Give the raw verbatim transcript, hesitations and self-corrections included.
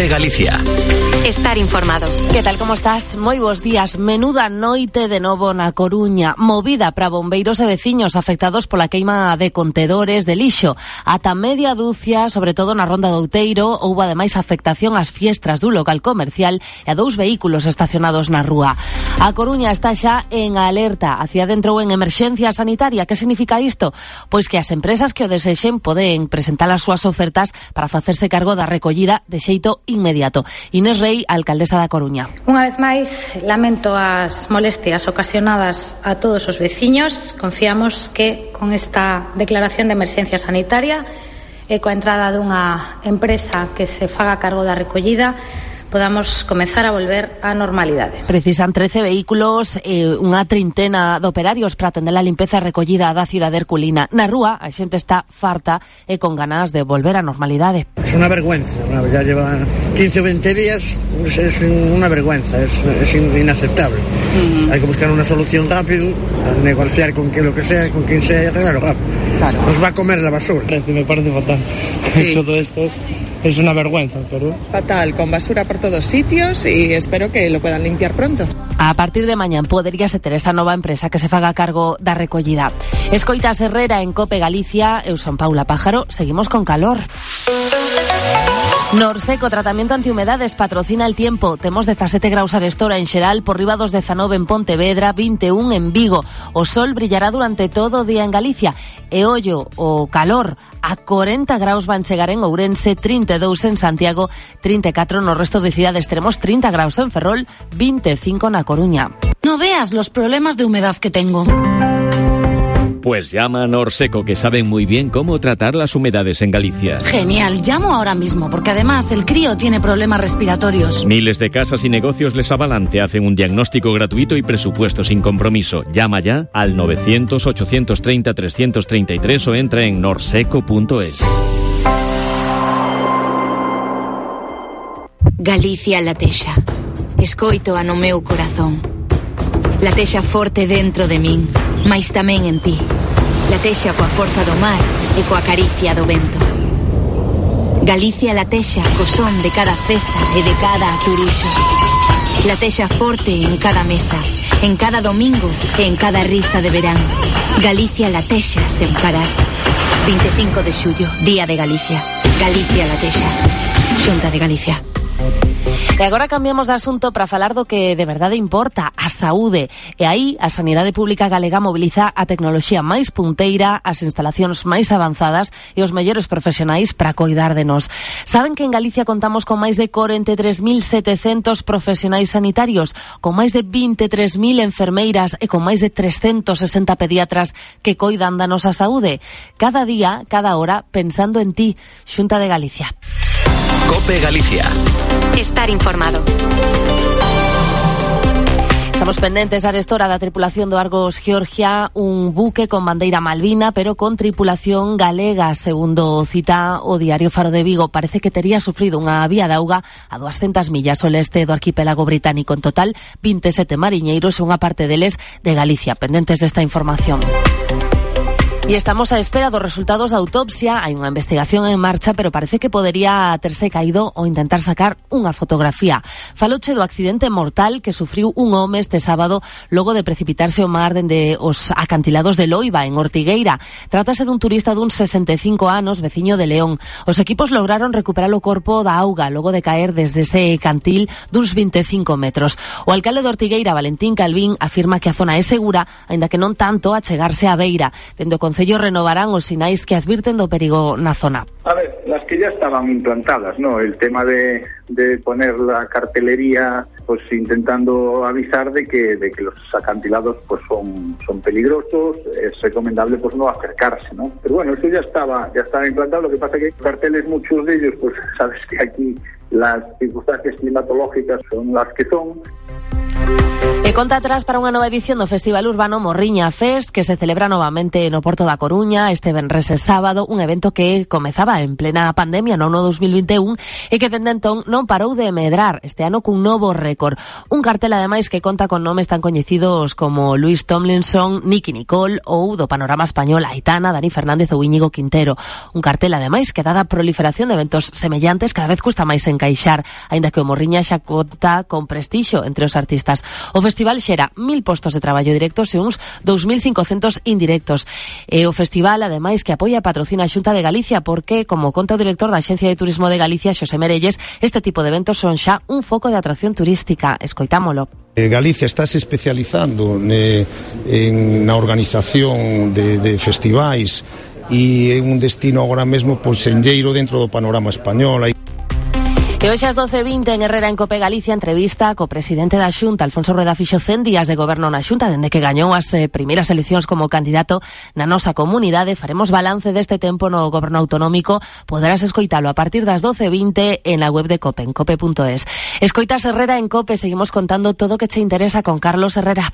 COPE Galicia. Estar informado. Que tal, como estás? Moi bons días. Menuda noite de novo na Coruña. Movida para bombeiros e veciños afectados pola queima de contedores de lixo. Ata media dúcia, sobre todo na Ronda do Outeiro, houbo ademais afectación ás fiestras dun local comercial e a dous vehículos estacionados na rúa. A Coruña está xa en alerta. A cidade entrou en emerxencia sanitaria. Que significa isto? Pois que as empresas que o desexen poden presentar as súas ofertas para facerse cargo da recollida de xeito inmediato. Inés Rei, alcaldesa da Coruña. Unha vez máis, lamento as molestias ocasionadas a todos os veciños. Confiamos que con esta declaración de emerxencia sanitaria e coa entrada dunha empresa que se faga cargo da recollida podamos comezar a volver á normalidade. Precisan trece vehículos e eh, unha trintena de operarios para atender a limpeza e recollida da cidade herculina. Na rúa, a xente está farta e con ganas de volver á normalidade. Es una vergüenza, ya lleva quince o veinte días, es una vergüenza, es, es inaceptable. Uh-huh. Hay que buscar una solución rápido, negociar con quien lo que sea, con quien sea y arreglarlo rápido. Claro. Nos va a comer la basura. Me parece fatal. Sí. Todo esto es una vergüenza, pero... Fatal, con basura por todos sitios y espero que lo puedan limpiar pronto. A partir de mañán poderíase ter esa nova empresa que se faga cargo da recollida. Escoitas Herrera en COPE Galicia, eu son Paula Pájaro, seguimos con calor. Norseco, tratamento antihumedades, patrocina el tiempo. Temos dezasete graus arestora en xeral, por riba dos dezanove en Pontevedra, vinte e un en Vigo. O sol brillará durante todo o día en Galicia. E ollo, o calor, a corenta graus van chegar en Ourense, trinta e dous en Santiago, trinta e catro no resto de cidades. Teremos trinta graus en Ferrol, vinte e cinco na Coruña. No veas los problemas de humedad que tengo. Pues llama a Norseco, que saben muy bien cómo tratar las humedades en Galicia. Genial, llamo ahora mismo, porque además el crío tiene problemas respiratorios. Miles de casas y negocios les avalan, te hacen un diagnóstico gratuito y presupuesto sin compromiso. Llama ya al novecientos, ochocientos treinta, trescientos treinta y tres o entra en norseco punto es. Galicia latexa. Escoito a no meu corazón. Latexa forte dentro de min, mais tamén en ti. Latexa coa forza do mar e coa caricia do vento. Galicia latexa co son de cada festa e de cada aturuxo. Latexa forte en cada mesa, en cada domingo e en cada risa de verán. Galicia latexa sen parar. vinte e cinco de xullo, Día de Galicia. Galicia latexa. Xunta de Galicia. E agora cambiamos de asunto para falar do que de verdade importa, a saúde. E aí a Sanidade Pública Galega mobiliza a tecnoloxía máis punteira, as instalacións máis avanzadas e os mellores profesionais para coidar de nós. Saben que en Galicia contamos con máis de corenta e tres mil setecentos profesionais sanitarios, con máis de vinte e tres mil enfermeiras e con máis de trescentos sesenta pediatras que coidan da nosa saúde. Cada día, cada hora, pensando en ti. Xunta de Galicia. COPE Galicia. Estar informado. Estamos pendentes a arestora da tripulación do Argos Georgia, un buque con bandeira malvina, pero con tripulación galega, segundo cita o diario Faro de Vigo. Parece que tería sufrido unha vía de auga a duascentas millas ao leste do arquipélago británico. En total, vinte e sete mariñeiros e unha parte deles de Galicia, pendentes desta información. E estamos á espera dos resultados da autopsia. Hai unha investigación en marcha, pero parece que podería terse caído ou intentar sacar unha fotografía. Faloche do accidente mortal que sufriu un home este sábado logo de precipitarse ao mar dende os acantilados de Loiba, en Ortigueira. Trátase dun turista dun sesenta e cinco anos, veciño de León. Os equipos lograron recuperar o corpo da auga logo de caer desde ese cantil duns vinte e cinco metros. O alcalde de Ortigueira, Valentín Calvín, afirma que a zona é segura, aínda que non tanto a chegarse á beira. Dende o Concello renovarán os sinais que advirten do perigo na zona. A ver, las que ya estaban implantadas, ¿no? El tema de, de poner la cartelería, pues intentando avisar de que, de que los acantilados pues son, son peligrosos, es recomendable pues no acercarse, ¿no? Pero bueno, eso ya estaba, ya estaba implantado, lo que pasa que carteles, muchos de ellos, pues sabes que aquí las circunstancias climatológicas son las que son. E conta atrás para unha nova edición do Festival Urbano Morriña Fest, que se celebra novamente no Porto da Coruña este venres e sábado, un evento que comezaba en plena pandemia no ano dos mil vinte e un e que dende entón non parou de medrar, este ano cun novo récord. Un cartel ademais que conta con nomes tan coñecidos como Luis Tomlinson, Nicky Nicole ou do panorama español Aitana, Dani Fernández ou Íñigo Quintero. Un cartel ademais que dada a proliferación de eventos semellantes cada vez custa máis encaixar, aínda que o Morriña xa conta con prestixio entre os artistas. O festival xera mil postos de traballo directos e uns dous mil cincocentos indirectos. E o festival, ademais, que apoia e patrocina a Xunta de Galicia porque, como conta o director da Axencia de Turismo de Galicia, Xosé Merelles, este tipo de eventos son xa un foco de atracción turística. Escoitámolo. Galicia está se especializando ne, en na organización de, de festivais e é un destino agora mesmo pois enlleiro dentro do panorama español. E hoxe ás doce e vinte en Herrera en Cope Galicia entrevista co presidente da Xunta, Alfonso Rueda fixo cen días de goberno na Xunta dende que gañou as eh, primeiras eleccións como candidato na nosa comunidade. Faremos balance deste tempo no goberno autonómico. Poderás escoitalo a partir das doce e vinte en la web de Cope, en cope punto es. Escoitas Herrera en Cope, seguimos contando todo o que che interesa con Carlos Herrera.